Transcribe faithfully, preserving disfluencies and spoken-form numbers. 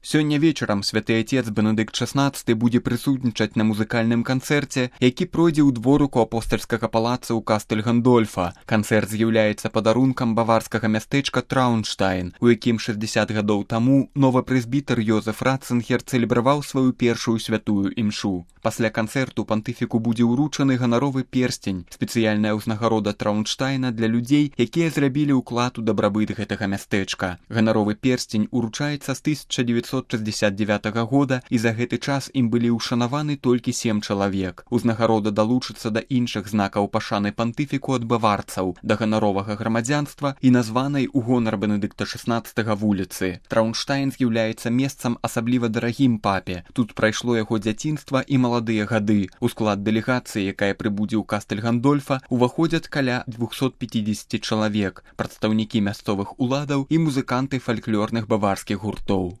Сёння вечарам святы отец Бенедыкт шаснаццаты будзе прысутнічаць на музыкальным канцэрце, які пройдзе ў дворыку апостальскага палаца ў Кастэль Гандольфа. Канцэрт з'яўляецца падарункам баварскага мястэчка Траунштайн, у якім шэсцьдзесят гадоў таму новы прэзбітэр Йозеф Ратцынгер цэлебраваў сваю першую святую імшу. Пасля канцэрту пантыфіку будзе ўручаны ганаровы перстень, спецыяльная ўзнагарода Траунштайна для людзей, якія зрабілі ўклад у дабрабыт гэтага мястэчка. Ганаровы перстень уручаецца з тысяча дзевяцьсот шэсцьдзесят дзевятага года, і за гэты час ім былі ўшанаваны толькі сем чалавек. Узнагарода далучыцца да іншых знакаў пашаны пантыфіку ад баварцаў, да ганаровага грамадзянства і названай у гонар Бенедыкта шаснаццатага вуліцы. Траунштайн з'яўляецца месцам асабліва дарагім папе. Тут прайшло яго дзяцінства і маладыя гады. У склад дэлегацыі, якая прыбудзе ў Кастэль Гандольфа, уваходзяць каля двухсот пяцідзесяці чалавек, прадстаўнікі мясцовых уладаў і музыканты фальклорных баварскіх гуртоў.